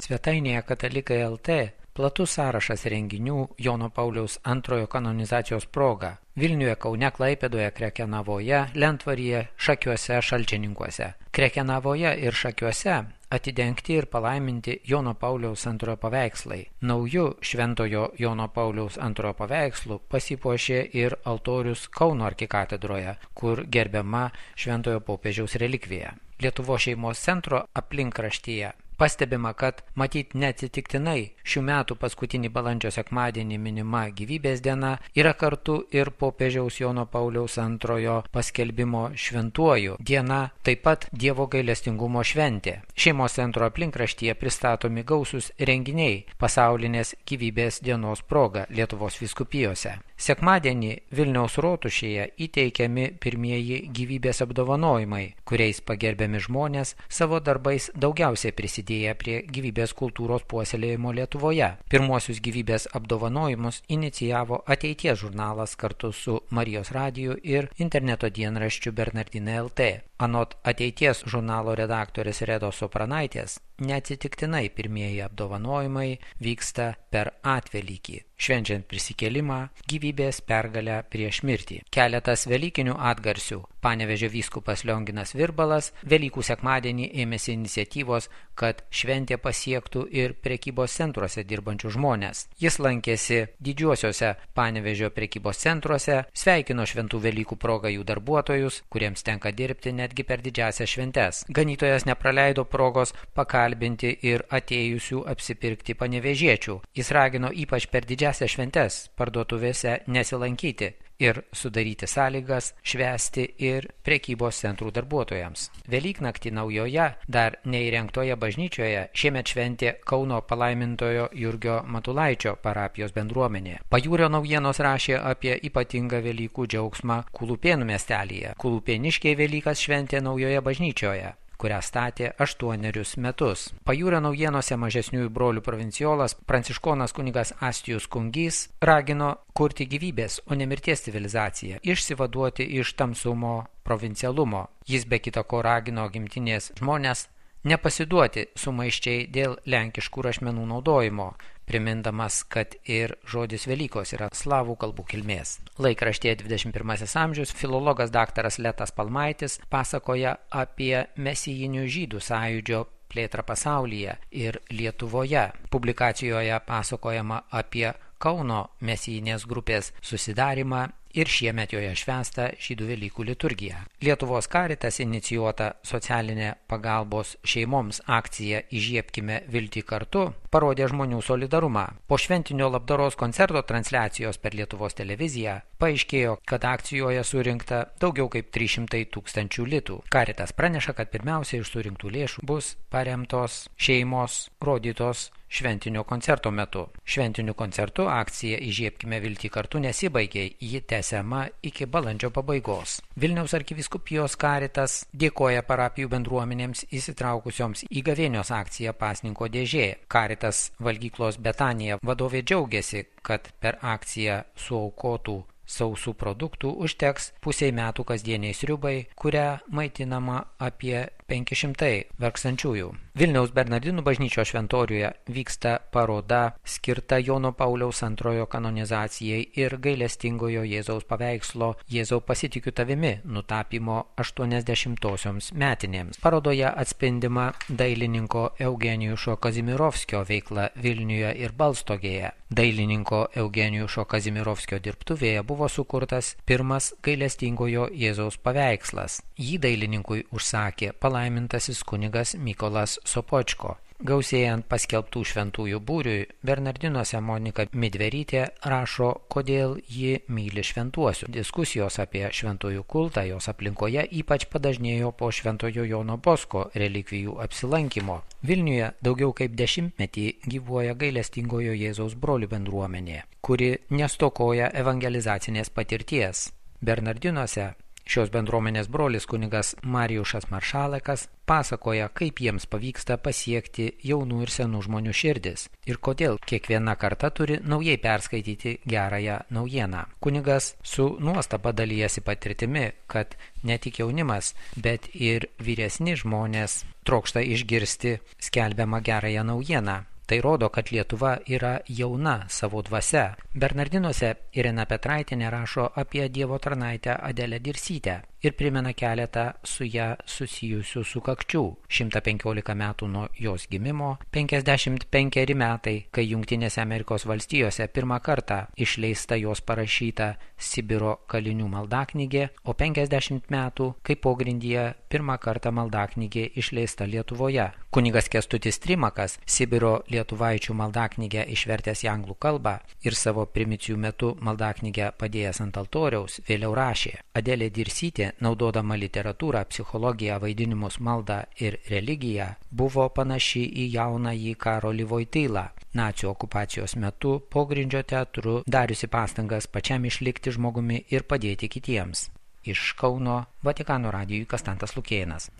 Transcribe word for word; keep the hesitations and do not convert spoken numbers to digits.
Svetainėje Katalikai taškas lt platus sąrašas renginių Jono Pauliaus antrojo kanonizacijos proga Vilniuje, Kaune, Klaipėdoje, Krekenavoje, Lentvaryje, Šakiuose, Šalčininkuose. Krekenavoje ir Šakiuose atidengti ir palaiminti Jono Pauliaus antrojo paveikslai. Nauju šventojo Jono Pauliaus antrojo paveikslu pasipuošė ir altorius Kauno arkikatedroje, kur gerbiama šventojo popiežiaus relikvija. Lietuvos šeimos centro aplinkraštyje pastebima, kad matyt neatsitiktinai šių metų paskutinį balandžio sekmadienį minima gyvybės diena yra kartu ir popiežiaus Jono Pauliaus antrojo paskelbimo šventuoju diena, taip pat Dievo gailestingumo šventė. Šeimos centro aplinkraštyje pristatomi gausūs renginiai pasaulinės gyvybės dienos proga Lietuvos vyskupijose. Sekmadienį Vilniaus rotušėje įteikiami pirmieji gyvybės apdovanojimai, kuriais pagerbiami žmonės savo darbais daugiausiai prisidėję prie gyvybės kultūros puoselėjimo Lietuvoje. Pirmuosius gyvybės apdovanojimus inicijavo Ateities žurnalas kartu su Marijos radiju ir interneto dienraščiu Bernardinai taškas lt. Anot Ateities žurnalo redaktorės Redos Sopranaitės, neatsitiktinai pirmieji apdovanojimai vyksta per atvelykį, švenčiant prisikėlimą, gyvybės pergalę prieš mirtį. Keletas velykinių atgarsių. Panevėžio vyskupas Lionginas Virbalas Velykų sekmadienį ėmėsi iniciatyvos, kad šventė pasiektų ir prekybos centruose dirbančių žmonės. Jis lankėsi didžiuosiuose Panevėžio prekybos centruose, sveikino šventų Velykų progą jų darbuotojus, kuriems tenka dirbti netgi per didžiąsias šventes. Ganytojas nepraleido progos pakalbinti ir atėjusių apsipirkti panevėžiečių. Jis ragino ypač per didžiąsias šventes parduotuvėse nesilankyti ir sudaryti sąlygas švęsti ir prekybos centrų darbuotojams. Velyknaktį naujoje, dar neįrengtoje bažnyčioje šiemet šventė Kauno palaimintojo Jurgio Matulaičio parapijos bendruomenė. Pajūrio naujienos rašė apie ypatingą Velykų džiaugsmą Kulupėnų miestelyje. Kulupėniškiai Velykas šventė naujoje bažnyčioje, kurią statė aštuonerius metus. Pajūrio naujienose mažesniųjų brolių provinciolas pranciškonas kunigas Astijus Kungys ragino kurti gyvybės, o ne mirties civilizaciją, išsivaduoti iš tamsumo provincialumo. Jis be kita ko ragino gimtinės žmonės nepasiduoti sumaiščiai dėl lenkiškų rašmenų naudojimo, primindamas, kad ir žodis Velykos yra slavų kalbų kilmės. Laikraštyje dvidešimt pirmasis amžius filologas daktaras Letas Palmaitis pasakoja apie mesijinių žydų sąjūdžio plėtrą pasaulyje ir Lietuvoje. Publikacijoje pasakojama apie Kauno mesijinės grupės susidarimą ir šiemet joje švęsta žydų Velykų liturgija. Lietuvos Karitas inicijuota socialinė pagalbos šeimoms akcija Įžiebkime viltį kartu parodė žmonių solidarumą. Po šventinio labdaros koncerto transliacijos per Lietuvos televiziją paaiškėjo, kad akcijoje surinkta daugiau kaip trys šimtai tūkstančių litų. Karitas praneša, kad pirmiausia iš surinktų lėšų bus paremtos šeimos rodytos šventinio koncerto metu. Šventiniu koncertu akcija Įžiebkime viltį kartu nesibaigė, ji tęsiama iki balandžio pabaigos. Vilniaus arkivyskupijos Karitas dėkoja parapijų bendruomenėms įsitraukusioms į gavėnios akciją Pasninko dėžė. Karitas valgyklos Betanija vadovė džiaugiasi, kad per akciją suaukotų sausų produktų užteks pusiai metų kasdieniai sriubai, kurią maitinama apie penki šimtai vargstančiųjų. Vilniaus Bernardinų bažnyčios šventoriuje vyksta paroda skirta Jono Pauliaus antrojo kanonizacijai ir gailestingojo Jėzaus paveikslo Jėzau pasitikiu tavimi nutapymo aštuoniasdešimtosioms metinėms. Parodoje atspindima dailininko Eugenijušo Kazimirovskio veikla Vilniuje ir Balstogėje. Dailininko Eugenijušo Kazimirovskio dirbtuvėje buvo sukurtas pirmas gailestingojo Jėzaus paveikslas. Jį dailininkui užsakė palaimintasis kunigas Mykolas Sopočko. Gausėjant paskelbtų šventųjų būriui, Bernardinuose Monika Midverytė rašo, kodėl ji myli šventuosius. Diskusijos apie šventųjų kultą jos aplinkoje ypač padažnėjo po šventojo Jono Bosko relikvijų apsilankymo. Vilniuje daugiau kaip dešimtmetį gyvuoja gailestingojo Jėzaus brolių bendruomenė, kuri nestokoja evangelizacinės patirties. Bernardinuose Šios bendruomenės brolis kunigas Marijušas Maršalekas pasakoja, kaip jiems pavyksta pasiekti jaunų ir senų žmonių širdis ir kodėl kiekviena karta turi naujai perskaityti gerąją naujieną. Kunigas su nuostaba dalijasi patirtimi, kad ne tik jaunimas, bet ir vyresni žmonės trokšta išgirsti skelbiamą gerąją naujieną. Tai rodo, kad Lietuva yra jauna savo dvasia. Bernardinuose Irena Petraitienė rašo apie Dievo tarnaitę Adelę Dirsytę ir primena keletą su ją susijusių sukakčių. šimtas penkiolika metų nuo jos gimimo, penkiasdešimt penkeri metai, kai Jungtinėse Amerikos valstijose pirmą kartą išleista jos parašyta Sibiro kalinių maldaknygė, o penkiasdešimt metų, kai pogrindyje pirmą kartą maldaknygė išleista Lietuvoje. Kunigas Kęstutis Trimakas Sibiro lietuvaičių maldaknygę išvertęs į anglų kalbą ir savo primicijų metu maldaknygę padėjęs ant altoriaus, vėliau rašė: Adelė Dirsytė, naudodama literatūrą, psichologiją, vaidinimus, maldą ir religiją, buvo panaši į jaunąjį Karolį Voitylą, nacių okupacijos metu pogrindžio teatru dariusi pastangas pačiam išlikti žmogumi ir padėti kitiems. Iš Kauno Vatikano radijui Kastantas Lukėnas.